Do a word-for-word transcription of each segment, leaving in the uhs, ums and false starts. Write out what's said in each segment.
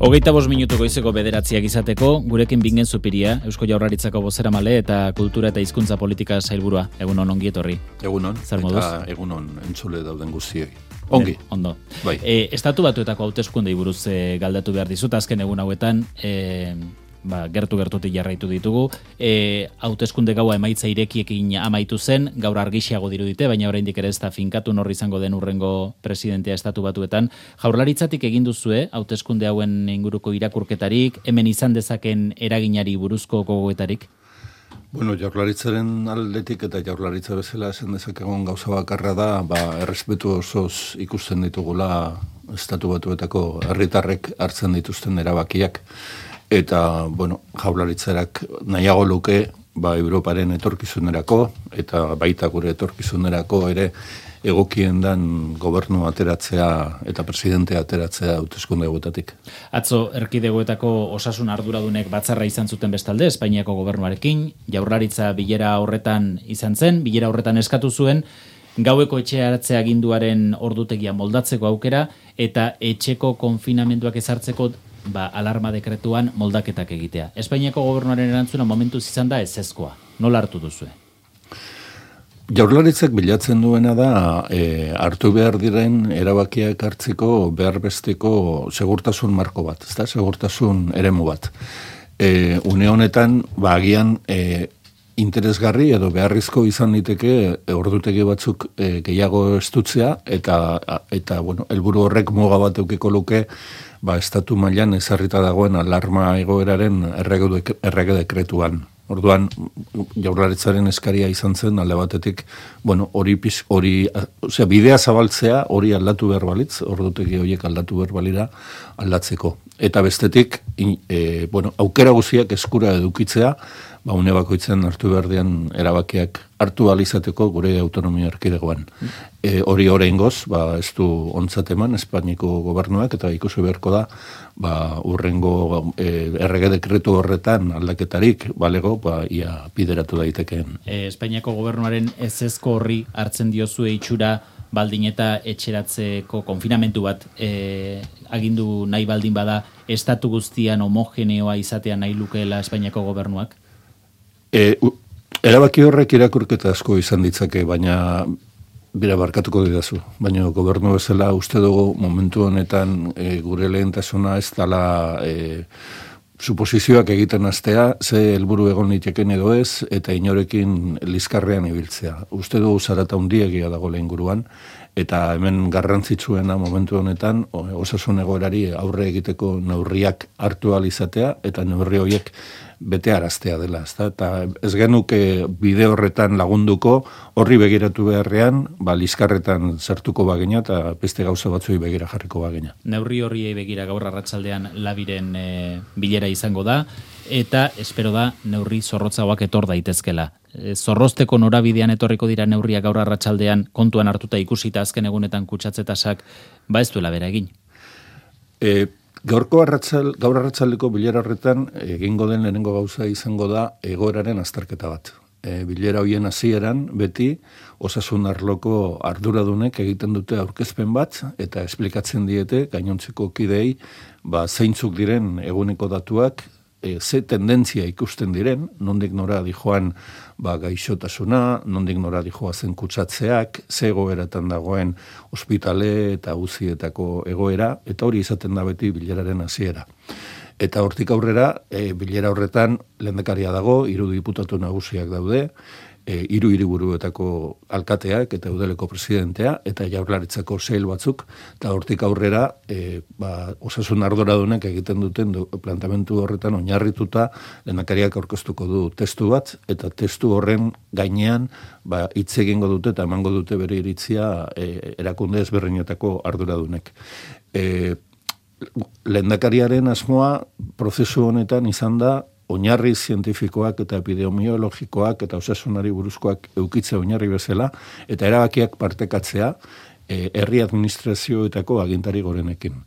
Hogeita bost minutu goizeko bederatziak izateko, gurekin Bingen Zupiria, Eusko Jaurlaritzako bozeramale eta kultura eta hizkuntza politika sailburua. Egunon, ongi etorri. Egunon, zer moduz? Eta egunon entzule dauden guztioi. Ongi. E, ondo. Bai. E, estatu batuetako hauteskundei buruz e, galdatu behar dizut, azken egun hauetan, e, ba, gertu-gertutik jarraitu ditugu. E, hauteskunde gaua emaitza irekiekin amaitu zen, gaur argixiago dirudite, baina oraindik ere ez da finkatu nor izango den urrengo presidentea estatu batuetan. Jaurlaritzatik egin duzue, hauteskunde hauen inguruko irakurketarik, hemen izan dezaken eraginari buruzko gogoetarik? Bueno, jaurlaritzaren aldetik eta jaurlaritza bezala esan dezakegun gauza bakarra da, ba, errespetu osoz ikusten ditugula estatu batuetako herritarrek hartzen dituzten erabakiak. Eta, bueno, jaurlaritzarak nahiago luke, ba, Europaren etorkizunerako, eta baita gure etorkizunerako ere egokien dan gobernu ateratzea eta presidente ateratzea hauteskunde hauetatik. Atzo, erkidegoetako osasun arduradunek batzarra izan zuten bestalde, Espainiako gobernuarekin, jaurlaritza bilera horretan izan zen, bilera horretan eskatu zuen, gaueko etxearatze aginduaren ordutegia moldatzeko aukera, eta etxeko konfinamenduak ezartzeko ba, alarma dekretuan moldaketak egitea. Espainiako gobernuaren erantzuna momentuz izan da ezezkoa. Nola hartu duzue? Jaurlaritzak bilatzen duena da e, hartu behar diren erabakiak hartzeko behar besteko segurtasun marko bat, ezta? Segurtasun eremu bat. E, une honetan, ba, agian e, interesgarri edo beharrizko izan liteke e, ordutegi batzuk e, gehiago estutzea eta, eta bueno, helburu horrek muga bat eukiko luke ba, estatu mailan ezarrita dagoen alarma egoeraren errege dekretuan. Orduan, jaurlaritzaren eskaria izan zen, alde batetik, bueno, hori, hori, osea, bidea zabaltzea, hori aldatu behar balitz, ordutegi horiek aldatu behar balira aldatzeko. Eta bestetik, e, bueno, aukera guziak eskura edukitzea, ba, une bakoitzen hartu behar dian erabakiak hartu alizateko gure autonomia erkidegoan. E, hori oraingoz, ba, ez du ontzat eman Espainiako gobernuak, eta ikusi beharko da, ba, urrengo e, errege dekretu horretan aldaketarik, balego, ba, ia bideratu daitekeen. E, Espainiako gobernuaren ezezko horri hartzen diozue itxura baldin eta etxeratzeko konfinamentu bat e, agindu nahi baldin bada, estatu guztian homogeneoa izatea nahi lukeela Espainiako gobernuak? E, u, erabaki horrek irakurketa asko izan ditzake, baina bira barkatuko didazu. Baina gobernu bezala uste dugu momentu honetan e, gure lehentasuna ez dela e, suposizioak egiten astea, ze helburu egon liteken edo ez, eta inorekin lizkarrean ibiltzea. Uste dugu zarata hundiegia dago lehenguruan, eta hemen garrantzitsuena momentu honetan osasun egoerari aurre egiteko neurriak hartu ahal izatea, eta neurri horiek bete araztea dela, ezta? Eta ez genuke bide horretan lagunduko, horri begiratu beharrean, ba, lizkarretan sartuko bagina eta beste gauza batzuei begira jarriko bagina. Neurri horriei begira gaur arratsaldean Labiren e, bilera izango da, eta espero da neurri zorrotzagoak etor daitezkela. E, zorrozteko norabidean etorriko dira neurriak gaur arratsaldean kontuan hartuta ikusita azken egunetan kutsatzetasak, ba ez duela bera egin. E, Gaurko arratsal, gaur arratsaldeko bilera horretan egingo den lehenengo gauza izango da egoeraren azterketa bat. E, bilera hoien hasieran beti osasun arloko arduradunek egiten dute aurkezpen bat eta esplikatzen diete gainontzeko kideei ba, zeintzuk diren eguneko datuak, e, ze tendentzia ikusten diren, nondik nora dijoan ba, gaixotasuna, nondik nora dijoa zen kutsatzeak, ze egoeratan dagoen ospitale eta uzietako egoera, eta hori izaten da beti bileraren hasiera. Eta hortik aurrera, e, bilera horretan lehendakaria dago, hiru diputatu nagusiak daude, e, hiru hiriburuetako alkateak eta udeleko presidentea, eta jaurlaritzako sail batzuk, eta hortik aurrera e, ba, osasun arduradunek egiten duten du, plantamentu horretan oinarrituta lehendakariak aurkeztuko du testu bat, eta testu horren gainean ba, hitz egingo dute eta emango dute bere iritzia e, erakunde ezberdinetako arduradunek. E, lehendakariaren asmoa prozesu honetan izan da oinarri zientifikoak eta epidemiologikoak eta osasunari buruzkoak eukitzea oinarri bezala, eta erabakiak partekatzea e, herri administrazioetako agintari gorenekin.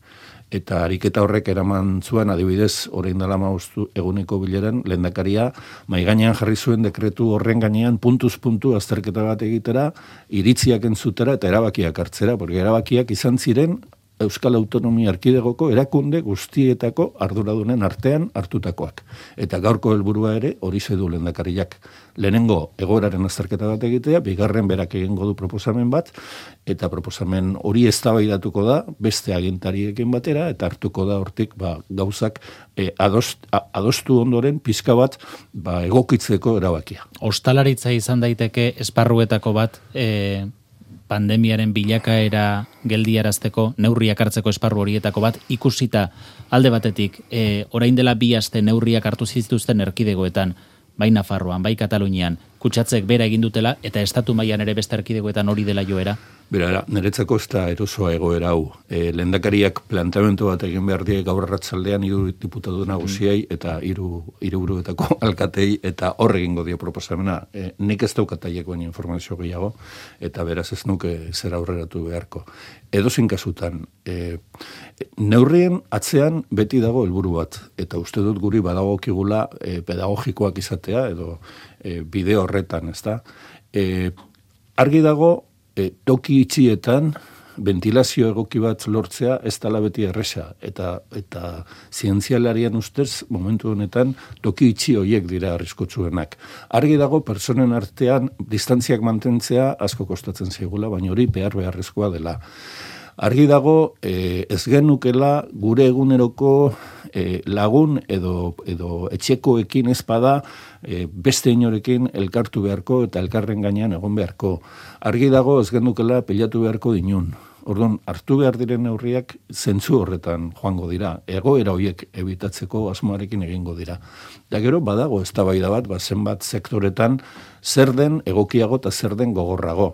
Eta ariketa horrek eraman zuen, adibidez, orain dela hamabost eguneko bileran, lehendakaria maigainean jarri zuen dekretu horren gainean puntuz puntu azterketa bat egitera, iritziak entzutera eta erabakiak hartzera, porque erabakiak izan ziren Euskal Autonomia Erkidegoko erakunde guztietako arduradunen artean hartutakoak. Eta gaurko helburua ere hori du lehendakariak. Lehenengo egoeraren azterketa bat egitea, bigarren berak egingo du proposamen bat, eta proposamen hori eztabaidatuko da beste agintariekin batera, eta hartuko da hortik ba, gauzak e, adost, a, adostu ondoren pizka bat ba, egokitzeko erabakia. Ostalaritza izan daiteke esparruetako bat e... pandemiaren bilakaera geldiarazteko, neurriak hartzeko esparru horietako bat, ikusita alde batetik, e, orain dela bi aste neurriak hartu zituzten erkidegoetan, bai Nafarroan, bai Katalunian, kutsatzek bera egin dutela, eta estatu mailan ere beste erkidegoetan hori dela joera? Bera, niretzako ez da erosoa egoera hau. E, lehendakariak planteamendu bat egin behar die gaur arratsaldean hiru diputatu nagusiei eta hiru hiriburuetako alkatei eta hor egingo dio proposamena. E, nik ez daukat haiekoen informazio gehiago eta beraz ez nuke zer aurreratu beharko. Edozein kasutan, e, neurrien atzean beti dago helburu bat eta uste dut guri badagokigula e, pedagogikoak izatea edo e, bide horretan, ezta? E, argi dago E, toki itxietan ventilazio egoki bat lortzea ez dela beti erresa eta eta zientzialarian ustez momentu honetan toki itxi horiek dira arriskotsuenak. Argi dago pertsonen artean distantziak mantentzea asko kostatzen zaigula, baina hori behar beharrezkoa dela. Argi dago e, ez genukela gure eguneroko e, lagun edo, edo etxekoekin ezpada e, beste inorekin elkartu beharko eta elkarren gainean egon beharko. Argi dago ez genukela pilatu beharko dinun. Orduan, hartu behar diren neurriak zentzu horretan joango dira. Egoera horiek ebitatzeko asmoarekin egingo dira. Da gero, badago eztabaida bat, ba, zenbat sektoretan zer den egokiago eta zer den gogorrago.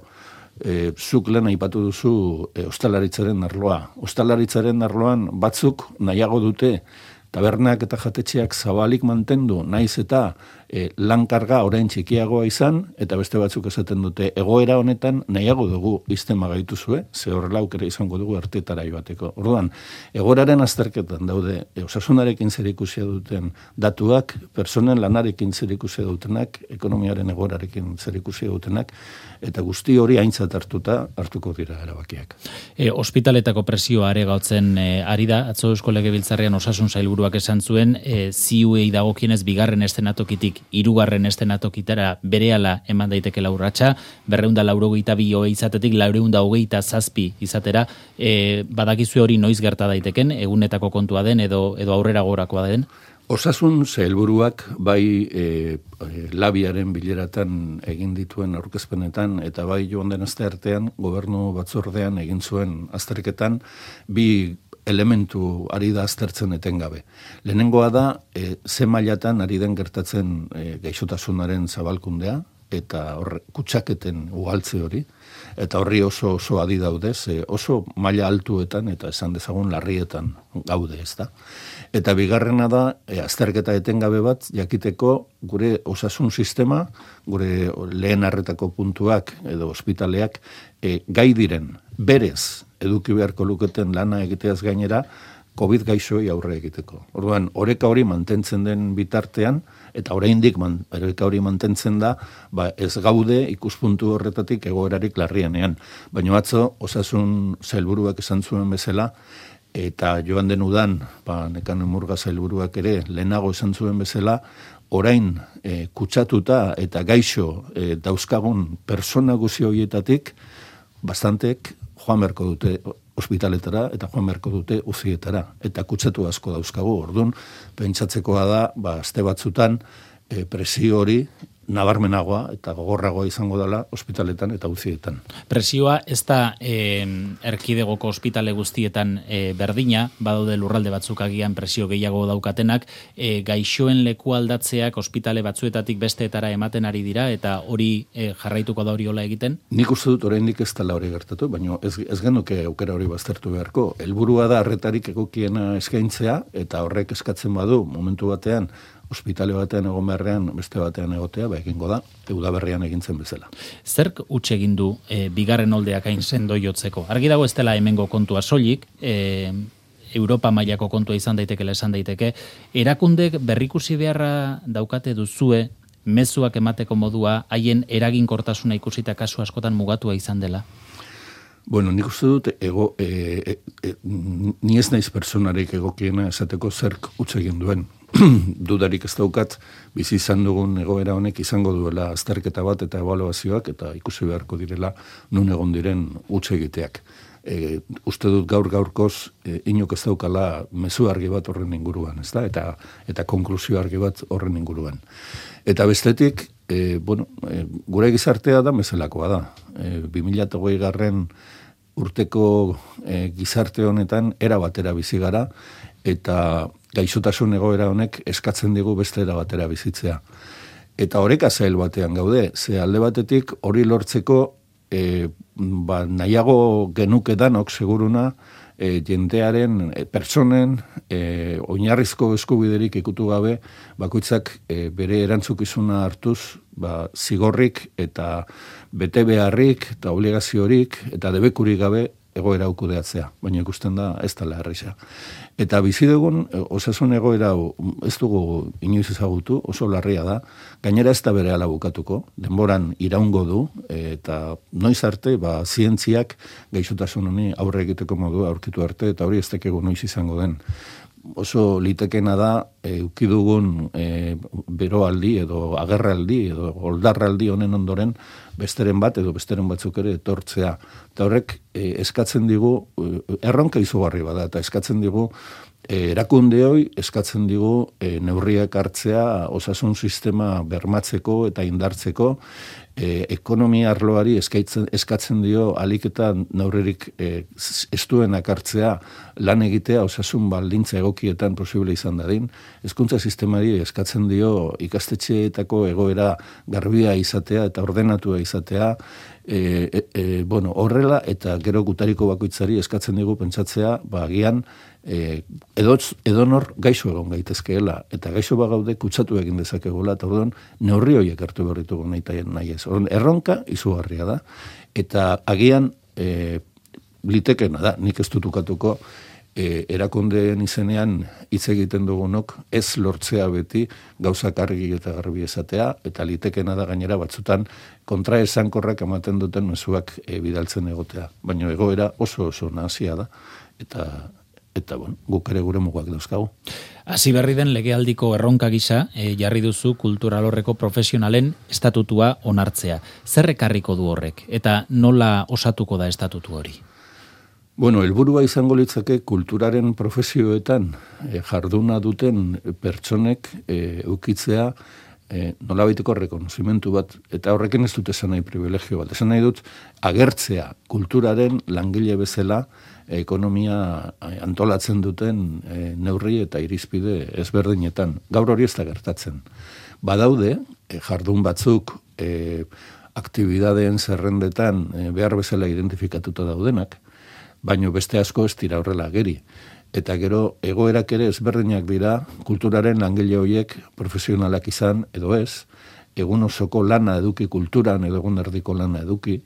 E, zuk lehen aipatu duzu e, ostalaritzaren arloa. Ostalaritzaren arloan batzuk nahiago dute tabernak eta jatetxeak zabalik mantendu, naiz eta e, lankarga orain txikiagoa izan, eta beste batzuk esaten dute egoera honetan nahiago dugu iztema gaituzue, ze horrela aukera izango dugu artetara joateko. Orduan, egoeraren azterketan daude e, osasunarekin zerikusia duten datuak, personen lanarekin zerikusia dutenak, ekonomiaren egoerarekin zerikusia dutenak, eta guzti hori aintzat hartuta hartuko dira erabakiak. E, ospitaletako presioa aregatzen e, ari da, atzo Eusko Legebiltzarrean osasun sailburuak esan zuen, e, ziuei dagokienez bigarren estenatokitik hirugarren estenatokitara berehala eman daiteke urratsa, berrehun eta laurogeita bi hogei izatetik laurehun eta hogeita zazpi izatera, e, badakizue hori noiz gerta daiteken, egunetako kontua den edo edo aurrera gorakoa den? Osasun sailburuak bai e, labiaren bileratan egin dituen aurkezpenetan eta bai joan den aste artean gobernu batzordean egin zuen azterketan bi elementu ari da aztertzen etengabe. Lehenengoa da e, ze mailatan ari den gertatzen e, gaixotasunaren zabalkundea eta horre, kutsaketen ugaltze hori, eta horri oso oso adi daude, ze oso maila altuetan eta esan dezagun larrietan gaude, ezta. Eta bigarrena da, e, azterketa etengabe bat, jakiteko gure osasun sistema, gure lehen arretako puntuak edo ospitaleak, e, gai diren, berez, eduki beharko luketen lana egiteaz gainera, COVID gaixoei aurre egiteko. Orduan, oreka hori mantentzen den bitartean, eta oraindik man, oreka hori mantentzen da, ba, ez gaude ikuspuntu horretatik egoerarik larrienean. Baina atzo, osasun sailburuak esan zuen bezala, eta joan den udan, ba, Nekane Murga sailburuak ere, lehenago esan zuen bezala, orain e, kutsatuta eta gaixo e, dauzkagun persona guzi horietatik, bastantek joan beharko dute ospitaletara eta joan beharko dute uzietara. Eta kutsatu asko dauzkagu, orduan, pentsatzekoa da, ba, aste batzutan, e, presio hori nabarmenagoa eta gogorragoa izango dela ospitaletan eta uzietan. Presioa ez da e, erkidegoko ospitale guztietan e, berdina, badaude lurralde batzuk agian presio gehiago daukatenak, e, gaixoen leku aldatzeak ospitale batzuetatik besteetara ematen ari dira, eta hori e, jarraituko da hori hola egiten? Nik uste dut oraindik ez dela hori gertatu, baina ez, ez genuke aukera hori baztertu beharko. Helburua da arretarik egokiena eskaintzea, eta horrek eskatzen badu momentu batean ospitale batean egon beharrean, beste batean egotea, ba egingo da, udaberrian egintzen bezala. Zerk utxe egin du e, bigarren oldeak hain sendo jotzeko? Argi dago ez dela hemengo kontua soilik, e, Europa mailako kontua izan daitekela esan daiteke, erakundek berrikusi beharra daukate duzue, mezuak emateko modua, haien eraginkortasuna ikusita kasu askotan mugatua izan dela? Bueno, nik uste dut, ego, e, e, e, ni ez naiz personarik egokiena esateko zerk utz egin duen. Dudarik ez daukat, bizi izan dugun egoera honek izango duela azterketa bat eta ebaluazioak, eta ikusi beharko direla nun egon diren utz egiteak. E, uste dut gaur gaurkoz e, inok ez daukala mezu argi bat horren inguruan, ez da? Eta, eta konklusio argi bat horren inguruan. Eta bestetik, e, bueno, e, gure gizartea da meselakoa da. E, bi mila hogei garren urteko e, gizarte honetan era batera bizi gara, eta gaixotasun egoera honek eskatzen digu beste era batera bizitzea. Eta oreka zail batean gaude, ze alde batetik hori lortzeko e, ba, nahiago genuke danok seguruna e, jendearen, e, pertsonen, e, oinarrizko eskubiderik ikutu gabe, bakoitzak e, bere erantzukizuna hartuz, ba, zigorrik eta bete beharrik eta obligaziorik eta debekurik gabe egoera hau kudeatzea, baina ikusten da ez dela erraza. Eta bizi dugun osasun egoera hau ez dugu inoiz ezagutu, oso larria da, gainera ez da berehala bukatuko, denboran iraungo du, eta noiz arte, ba, zientziak gaixotasun honi aurre egiteko modua aurkitu arte, eta hori ez dakegu noiz izango den. Oso litekena da, eduki dugun e, beroaldi edo agerraldi edo oldarraldi honen ondoren besteren bat edo besteren batzuk ere etortzea. Eta horrek e, eskatzen digu, e, erronka izugarri bada, eta eskatzen digu e, erakundeoi, eskatzen digu e, neurriak hartzea osasun sistema bermatzeko eta indartzeko, e, ekonomia arloari eskatzen, eskatzen dio alik eta neurririk e, estuenak hartzea lan egitea osasun baldintza egokietan posible izan dadin, hezkuntza sistemari eskatzen dio ikastetxeetako egoera garbia izatea eta ordenatua izatea, e, e, e, bueno, horrela eta gero gutariko bakoitzari eskatzen digu pentsatzea, ba, agian e, edotz, edonor gaixo egon gaitezkeela, eta gaixo bagaude kutsatu egin dezakegula, eta orduan neurri horiek hartu berritugu nahi taien nahi ez. Orduan, erronka izugarria da, eta agian e, litekena da, nik ez dutukatuko, E, erakundeen izenean hitz egiten dugunok ez lortzea beti gauzak argi eta garbi esatea, eta litekena da gainera batzutan kontra esankorrak ematen duten mezuak e, bidaltzen egotea. Baina egoera oso oso nazia da, eta, eta bon, guk ere gure mugak dauzkagu. Hasi berri den legealdiko erronka gisa, e, jarri duzu kulturalorreko profesionalen estatutua onartzea. Zer ekarriko du horrek, eta nola osatuko da estatutu hori? Bueno, helburua izango litzake kulturaren profesioetan e, jarduna duten pertsonek e, eukitzea e, nolabaiteko rekonozimentu bat, eta horrekin ez dut esan nahi privilegio bat. Esan nahi dut agertzea kulturaren langile bezala ekonomia antolatzen duten e, neurri eta irizpide ezberdinetan. Gaur hori ez da gertatzen. Badaude, e, jardun batzuk e, aktibidadeen zerrendetan e, behar bezala identifikatuta daudenak, baino beste asko ez dira horrela ageri. Eta gero egoerak ere ezberdinak dira kulturaren langile horiek profesionalak izan edo ez, egun osoko lana eduki kulturan edo egun erdiko lana eduki,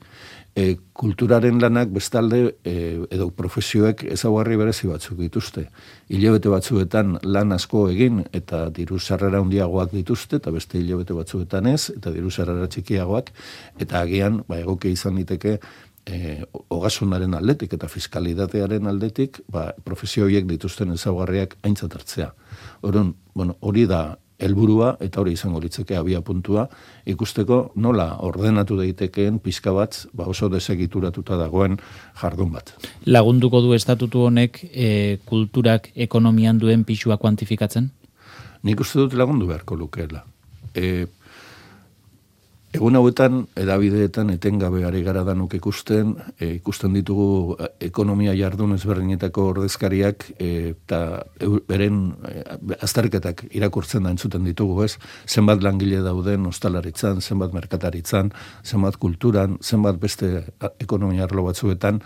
e, kulturaren lanak bestalde e, edo profesioek ezaugarri berezi batzuk dituzte. Hilabete batzuetan lan asko egin eta diru sarrera handiagoak dituzte, eta beste hilabete batzuetan ez, eta diru sarrera txikiagoak, eta agian ba, egokia izan diteke E, ogasunaren aldetik eta fiskalitatearen aldetik, ba, profesio horiek dituzten ezaugarriak aintzat hartzea. Orduan, bueno, hori da helburua eta hori izango litzake abia puntua, ikusteko nola ordenatu daitekeen pixka bat, ba, oso desegituratuta dagoen jardun bat. Lagunduko du estatutu honek e, kulturak ekonomian duen pisua kuantifikatzen? Nik uste dut lagundu beharko lukeela. E, Egun hauetan, edabideetan etengabe ari gara danuk ikusten, e, ikusten ditugu ekonomia jardun ezberdinetako ordezkariak e, eta beren e, azterketak irakurtzen da entzuten ditugu, ez? Zenbat langile dauden ostalaritzan, zenbat merkataritzan, zenbat kulturan, zenbat beste ekonomia arlo batzuetan,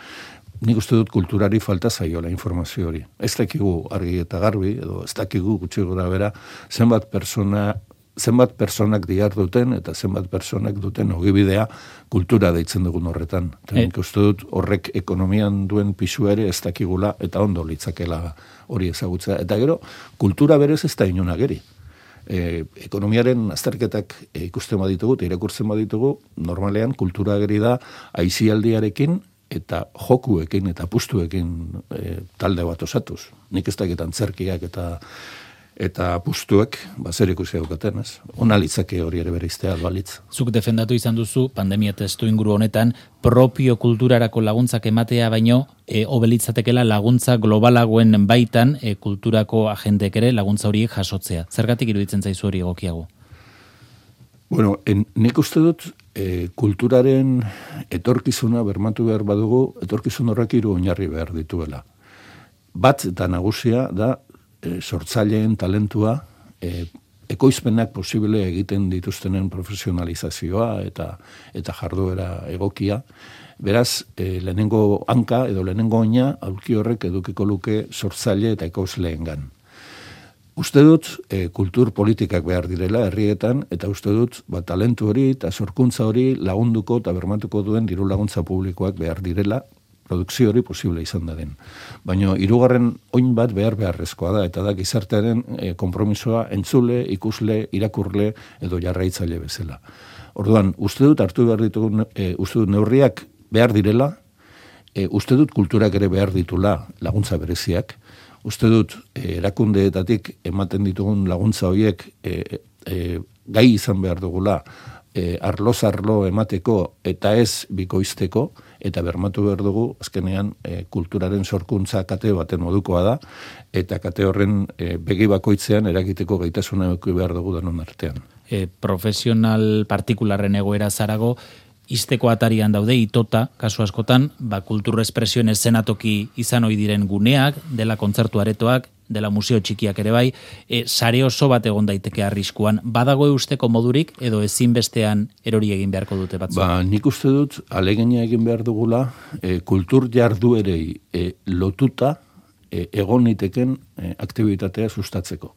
nik uste dut kulturari falta zaiola informazio hori. Ez dakigu argi eta garbi, edo ez dakigu gutxi gora bera, zenbat persona zenbat personak dihar duten eta zenbat personak duten ogibidea kultura deitzen dugun horretan. Eta nik uste dut horrek ekonomian duen pisua ere ez dakigula eta ondo litzakela hori ezagutza. Eta gero, kultura berez ez da inon ageri. E, ekonomiaren azterketak e, ikusten baditugu eta irakurtzen baditugu, normalean kultura ageri da aizialdiarekin eta jokuekin eta apustuekin e, talde bat osatuz. Nik ez dakit antzerkiak eta eta apustuek, ba, zer ikusi daukaten, ez? Ona litzake hori ere bereiztea, balitz. Zuk defendatu izan duzu, pandemia testu inguru honetan, propio kulturarako laguntzak ematea baino, e, obelitzatekela laguntza globalagoen baitan, e, kulturako agendek ere laguntza horiek jasotzea. Zergatik iruditzen zaizu hori egokiago? Bueno, en, nik uste dut, e, kulturaren etorkizuna bermatu behar badugu, etorkizun horrek hiru oinarri behar dituela. Bat eta nagusia da, E, sortzaileen talentua, e, ekoizpenak posible egiten dituztenen profesionalizazioa eta eta jarduera egokia. Beraz, e, lehenengo hanka edo lehenengo oina aulki horrek edukiko luke sortzaile eta ekoizleengan. Uste dut, e, kultur politikak behar direla herrietan, eta uste dut, ba, talentu hori eta sorkuntza hori lagunduko eta bermatuko duen diru laguntza publikoak behar direla, produkzio hori posible izan da den. Baina hirugarren oin bat behar beharrezkoa da, eta da gizartearen e, konpromisoa entzule, ikusle, irakurle edo jarraitzaile bezala. Orduan, uste dut hartu behar ditugu, e, uste dut neurriak behar direla, e, uste dut kulturak ere behar ditula laguntza bereziak, uste dut e, erakundeetatik ematen ditugun laguntza horiek e, e, gai izan behar dugula, e, arlo-zarlo emateko eta ez bikoizteko, eta bermatu behar dugu, azkenean, e, kulturaren sorkuntza kate baten modukoa da, eta kate horren e, begi bakoitzean eragiteko gaitasuna eduki behar dugu danon artean. E, profesional partikularren egoera zarago, izteko atarian daude, itota, kasu askotan, ba, kultur espresioen eszenatoki izan ohi diren guneak, dela kontzertu aretoak, dela museo txikiak ere bai, e, sare oso bat egon daiteke arriskuan. Badago eusteko modurik, edo ezinbestean erori egin beharko dute batzuk? Ba, nik uste dut, alegina egin behar dugula, e, kultur jarduerei e, lotuta e, egon niteken e, aktibitatea sustatzeko.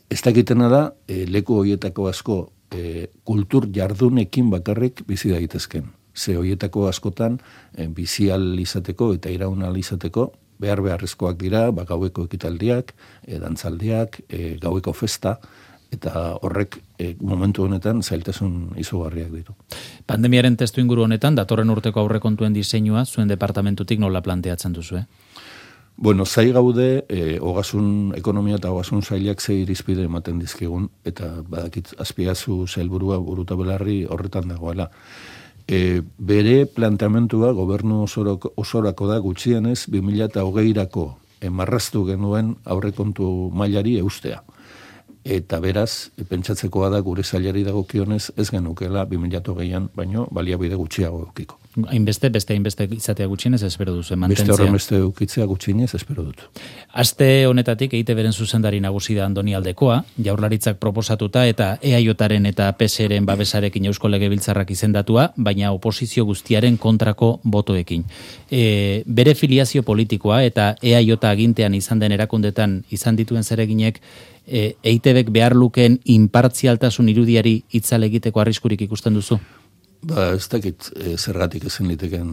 Ez dakitena da, e, leku horietako asko e, kultur jardunekin bakarrik bizi daitezken. Ze horietako askotan e, bizial izateko eta iraunal izateko, behar beharrezkoak dira, ba, gaueko ekitaldiak, e, dantzaldiak, e, gaueko festa, eta horrek e, momentu honetan zailtasun izugarriak ditu. Pandemiaren testu inguru honetan, datorren urteko aurrekontuen diseinua, zuen departamentutik nola planteatzen duzu, eh? Bueno, zai gaude, e, ogasun ekonomia eta ogasun sailak ze irizpide ematen dizkigun, eta badakit azpiazu sailburua buruta belarri horretan dagoela. E, bere planteamentua gobernu osorako, osorako da gutxienez bi mila hogeirako marraztu genuen aurrekontu mailari eustea. Eta beraz, pentsatzekoa da gure sailari dagokionez ez genukela bi mila hogeian, baino baliabide gutxiago edukiko. Hainbeste, beste hainbeste izatea gutxienez espero duzu, mantentzea. Beste horren beste edukitzea gutxienez espero dut. Aste honetatik E I Te Beren zuzendari nagusi da Andoni Aldekoa, Jaurlaritzak proposatuta eta E A Jren eta P S Ren babesarekin Eusko Legebiltzarrak izendatua, baina oposizio guztiaren kontrako botoekin. E, bere filiazio politikoa eta E A J agintean izan den erakundetan izan dituen zereginek, E I Te Bek behar lukeen inpartzialtasun irudiari itzale egiteko arriskurik ikusten duzu? Ba, ez dakit e, zergatik ezin liteken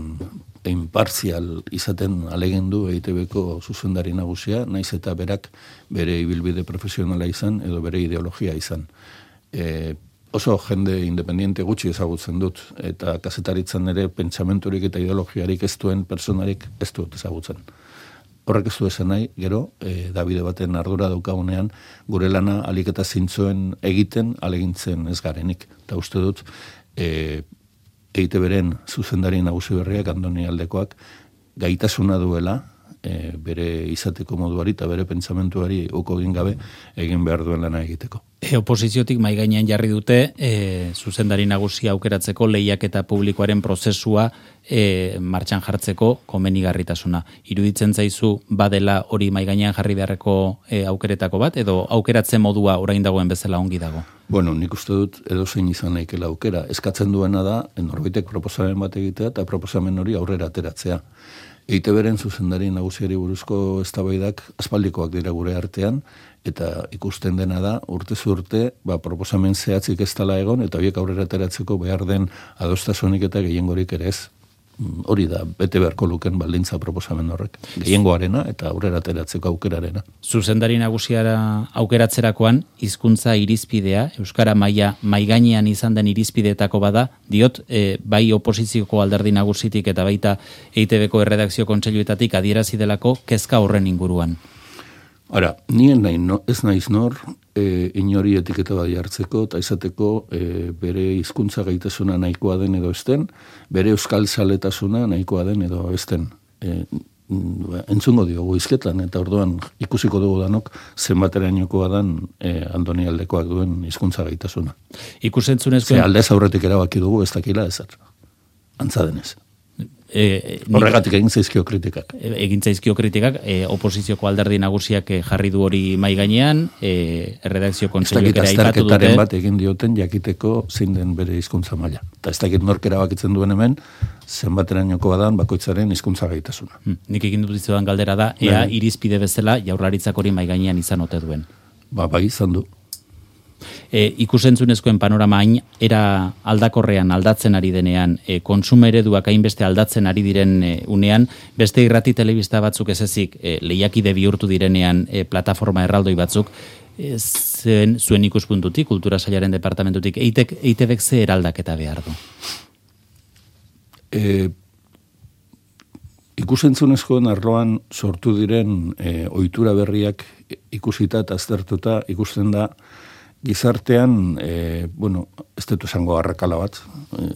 impartzial izaten alegendu E I Te Beko zuzendari nagusia, naiz eta berak bere ibilbide profesionala izan edo bere ideologia izan. E, oso jende independiente gutxi ezagutzen dut, eta kazetaritzan ere pentsamenturik eta ideologiarik ez duen personarik ez dut ezagutzen. Horrek ez du esan nahi, gero, e, Davide baten ardura daukagunean, gure lana alik eta zintzoen egiten, alegintzen ez garenik. Eta uste dut, e, E I Te Beren zuzendari nagusi berriak, Andoni Aldekoak, gaitasuna duela, e, bere izateko moduari eta bere pentsamentuari uko egin gabe egin behar duen lana egiteko. E, oposiziotik mai gainean jarri dute e, zuzendari nagusia aukeratzeko lehiaketa publikoaren prozesua e, martxan jartzeko komenigarritasuna. Iruditzen zaizu badela hori mai gainean jarri beharreko e, aukeretako bat, edo aukeratze modua orain dagoen bezala ongi dago? Bueno, nik uste dut edozein izan naikela aukera. Eskatzen duena da, norbaitek proposamen bat egitea eta proposamen hori aurrera ateratzea. E I Te Beren zuzendari nagusiari buruzko eztabaidak aspaldikoak dira gure artean, eta ikusten dena da, urtez urte, ba, proposamen zehatzik ez dela egon, eta horiek aurrera ateratzeko behar den adostasunik eta gehiengorik ere ez. hori da, bete beharko luken baldintza proposamen horrek. Gehiengoarena eta aurrera ateratzeko aukerarena. Zuzendari nagusiara aukeratzerakoan, hizkuntza irizpidea, Euskara maila maigainean izan den irizpideetako bada, diot, e, bai oposizioko alderdi nagusitik eta baita E I Te Beko erredakzio kontseiluetatik adierazi delako kezka horren inguruan. Ara, nien nahi, no, ez naiz nor, e, inori etiketa bat jartzeko, eta izateko e, bere hizkuntza gaitasuna nahikoa den edo esten, bere euskal zaletasuna nahikoa den edo esten. E, entzungo diogu izketan, eta orduan ikusiko dugu danok zenbaterainokoa dan e, Andoni aldekoak duen hizkuntza gaitasuna. Ikusentzunezkoen... Ze aldez aurretik erabaki dugu ez dakila ezer. Antza denez. E, Horregatik egin zaizkio kritikak. Egin zaizkio kritikak, e, oposizioko alderdi nagusiak jarri du hori mai gainean, e, erredakzio kontseiluak ere aipatu dute. Azterketaren bat egin dioten jakiteko zein den bere hizkuntza maila. Eta ez dakit nork erabakitzen duen hemen, zenbaterainokoa dan bakoitzaren hizkuntza gaitasuna. Hmm, nik egin dut dizudan galdera da, ea irizpide bezala Jaurlaritzak hori mai gainean izan ote duen. Ba, bai izan du. E, ikusentzunezkoen panorama hain era aldakorrean aldatzen ari denean, e, kontsumo ereduak hainbeste aldatzen ari diren e, unean, beste irrati telebista batzuk ez ezik e, lehiakide bihurtu direnean e, plataforma erraldoi batzuk, e, zen, zuen ikuspuntutik, kultura sailaren departamentutik, E I Te Bek ze eraldaketa behar du? E, ikusentzunezkoen arloan sortu diren e, ohitura berriak ikusita eta aztertuta ikusten da gizartean, e, bueno, ez dut esango arrakala bat, e,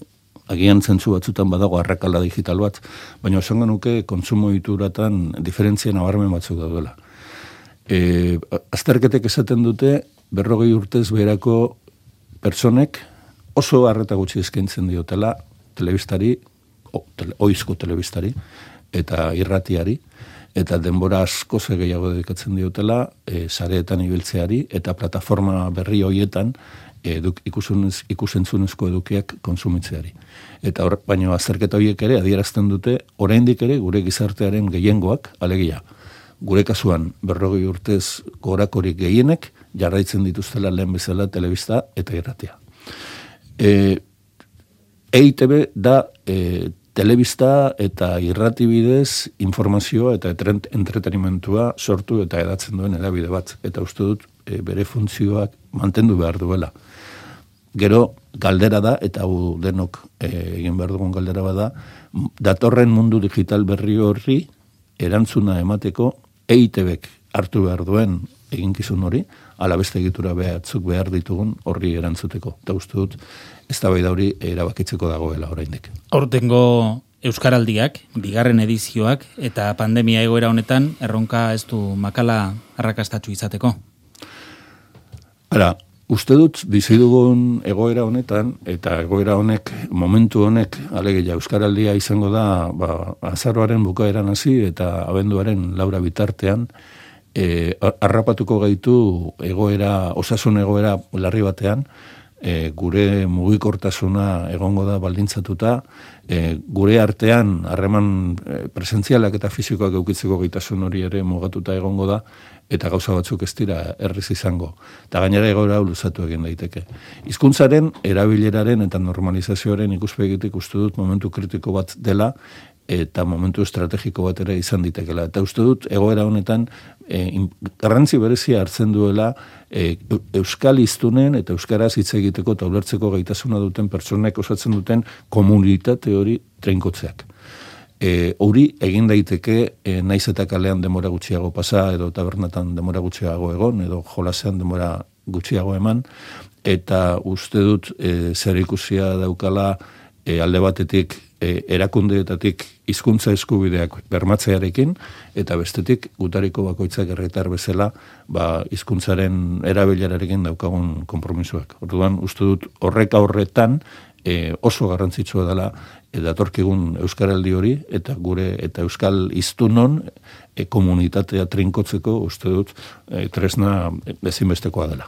agian zentzu batzutan badago arrakala digital bat, baina esango nuke kontsumo ohituratan diferentzia nabarmen batzuk daudela. E, azterketek esaten dute, berrogei urtez beherako pertsonek oso harreta gutxi eskaintzen diotela telebistari, o, tele, oizko telebistari, eta irratiari, eta denbora asko ze gehiago dedikatzen diotela e, sareetan ibiltzeari eta plataforma berri hoietan eduk, ikusunez, ikusentzunezko edukiak konsumitzeari. Eta hor, baina azterketa horiek ere adierazten dute oraindik ere gure gizartearen gehiengoak, alegia, gure kasuan berrogei urtez gorakorik gehienek jarraitzen dituztela lehen bezala telebista eta irratia. E, E I Te Be da e, telebista eta irrati bidez informazioa eta entretenimentua sortu eta edatzen duen edabide bat. Eta uste dut e, bere funtzioak mantendu behar duela. Gero galdera da, eta hau denok e, egin behar dugun galdera bada, datorren mundu digital berri horri erantzuna emateko E I Te Bek hartu behar duen eginkizun hori, ala beste egitura behatzuk behar ditugun horri erantzuteko. Eta uste dut, ez da bai da hori erabakitzeko dagoela oraindik. Aurtengo Euskaraldiak, bigarren edizioak, eta pandemia egoera honetan, erronka ez du makala arrakastatsu izateko? Ara, uste dut, bizi dugun egoera honetan, eta egoera honek, momentu honek, alegia Euskaraldia izango da, ba, azaroaren bukaeran hasi eta abenduaren laura bitartean, e, harrapatuko gaitu egoera, osasun egoera larri batean, E, gure mugikortasuna egongo da baldintzatuta, e, gure artean harreman e, presentzialak eta fisikoak eukitzeko gaitasun hori ere mugatuta egongo da, eta gauza batzuk ez dira erriz izango. Eta gainera egoera luzatu egin daiteke. Hizkuntzaren erabileraren eta normalizazioaren ikuspegitik uste dut momentu kritiko bat dela, eta momentu estrategiko bat ere izan ditekela. Eta uste dut egoera honetan e, garrantzi berezia hartzen duela e, euskal hiztunen eta euskaraz hitz egiteko eta ulertzeko gaitasuna duten pertsonek osatzen duten komunitate hori treinkotzeak. E, hori egin daiteke e, naiz eta kalean denbora gutxiago pasa edo tabernatan denbora gutxiago egon edo jolasean denbora gutxiago eman, eta uste dut e, zer ikusia daukala e, alde batetik e, erakundeetatik hizkuntza eskubideak bermatzearekin, eta bestetik gutariko bakoitzak herritar bezala ba, hizkuntzaren erabilerarekin daukagun konpromisoak. Orduan, uste dut horrek aurretan e, oso garrantzitsua dela e, datorkigun euskaraldi hori, eta gure eta euskal hiztunon e, komunitatea trinkotzeko uste dut e, tresna ezinbestekoa dela.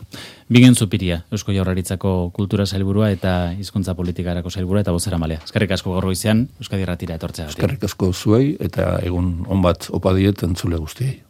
Bingen Zupiria, Eusko Jaurlaritzako kultura sailburua eta hizkuntza politikarako sailburua eta bozeramaileak. Eskerrik asko gaur goizean Euskadi Irratira etortzeagatik. Eskerrik asko zuei eta egun on bat opa diet entzule guztiei.